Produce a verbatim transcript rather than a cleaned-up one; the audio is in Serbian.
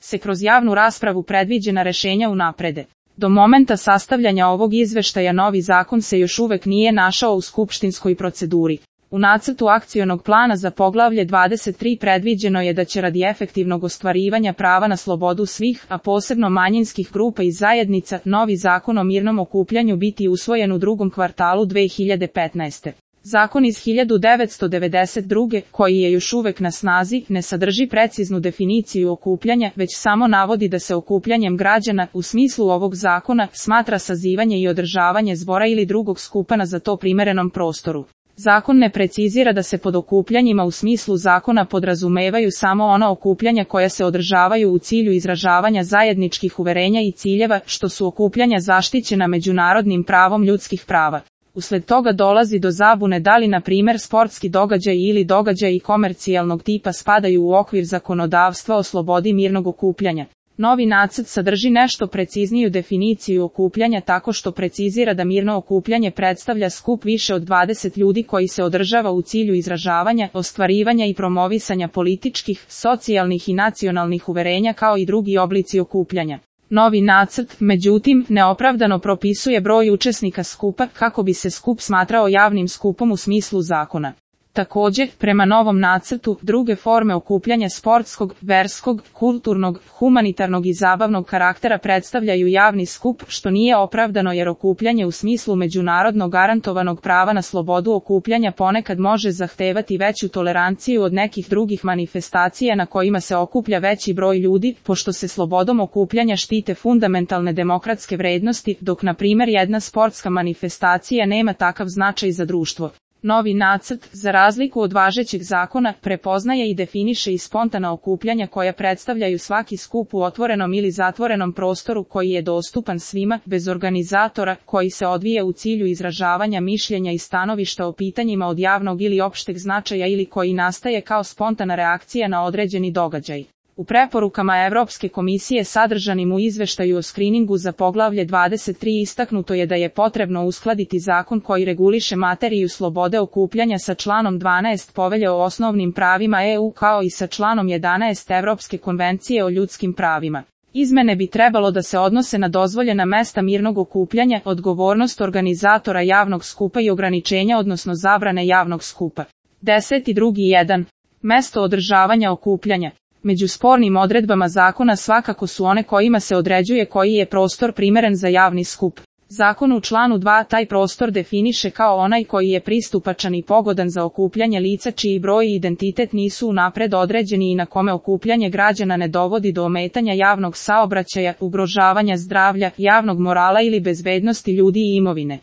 se kroz javnu raspravu predviđena rešenja unaprede. Do momenta sastavljanja ovog izveštaja novi zakon se još uvek nije našao u skupštinskoj proceduri. U nacrtu akcionog plana za poglavlje dvadeset tri predviđeno je da će radi efektivnog ostvarivanja prava na slobodu svih, a posebno manjinskih grupa i zajednica, novi zakon o mirnom okupljanju biti usvojen u drugom kvartalu dve hiljade petnaeste. Zakon iz hiljadu devetsto devedeset druge, koji je još uvek na snazi, ne sadrži preciznu definiciju okupljanja, već samo navodi da se okupljanjem građana, u smislu ovog zakona, smatra sazivanje i održavanje zbora ili drugog skupa na za to primerenom prostoru. Zakon ne precizira da se pod okupljanjima u smislu zakona podrazumevaju samo ona okupljanja koja se održavaju u cilju izražavanja zajedničkih uverenja i ciljeva, što su okupljanja zaštićena međunarodnim pravom ljudskih prava. Usled toga dolazi do zabune da li na primer sportski događaj ili događaji komercijalnog tipa spadaju u okvir zakonodavstva o slobodi mirnog okupljanja. Novi nacrt sadrži nešto precizniju definiciju okupljanja tako što precizira da mirno okupljanje predstavlja skup više od dvadeset ljudi koji se održava u cilju izražavanja, ostvarivanja i promovisanja političkih, socijalnih i nacionalnih uverenja kao i drugi oblici okupljanja. Novi nacrt, međutim, neopravdano propisuje broj učesnika skupa kako bi se skup smatrao javnim skupom u smislu zakona. Također, prema novom nacrtu, druge forme okupljanja sportskog, verskog, kulturnog, humanitarnog i zabavnog karaktera predstavljaju javni skup, što nije opravdano jer okupljanje u smislu međunarodno garantovanog prava na slobodu okupljanja ponekad može zahtevati veću toleranciju od nekih drugih manifestacija na kojima se okuplja veći broj ljudi, pošto se slobodom okupljanja štite fundamentalne demokratske vrednosti, dok na primjer jedna sportska manifestacija nema takav značaj za društvo. Novi nacrt, za razliku od važećeg zakona, prepoznaje i definiše i spontana okupljanja koja predstavljaju svaki skup u otvorenom ili zatvorenom prostoru koji je dostupan svima, bez organizatora, koji se odvija u cilju izražavanja mišljenja i stanovišta o pitanjima od javnog ili opšteg značaja ili koji nastaje kao spontana reakcija na određeni događaj. U preporukama Evropske komisije sadržanim u izveštaju o skriningu za poglavlje dvadeset tri istaknuto je da je potrebno uskladiti zakon koji reguliše materiju slobode okupljanja sa članom dvanaest Povelje o osnovnim pravima E U kao i sa članom jedanaest Evropske konvencije o ljudskim pravima. Izmene bi trebalo da se odnose na dozvoljena mesta mirnog okupljanja, odgovornost organizatora javnog skupa i ograničenja odnosno zabrane javnog skupa. Deseti drugi jedan. Mesto održavanja okupljanja. Među spornim odredbama zakona svakako su one kojima se određuje koji je prostor primeren za javni skup. Zakon u članu dva taj prostor definiše kao onaj koji je pristupačan i pogodan za okupljanje lica čiji broj i identitet nisu unapred određeni i na kome okupljanje građana ne dovodi do ometanja javnog saobraćaja, ugrožavanja zdravlja, javnog morala ili bezbednosti ljudi i imovine.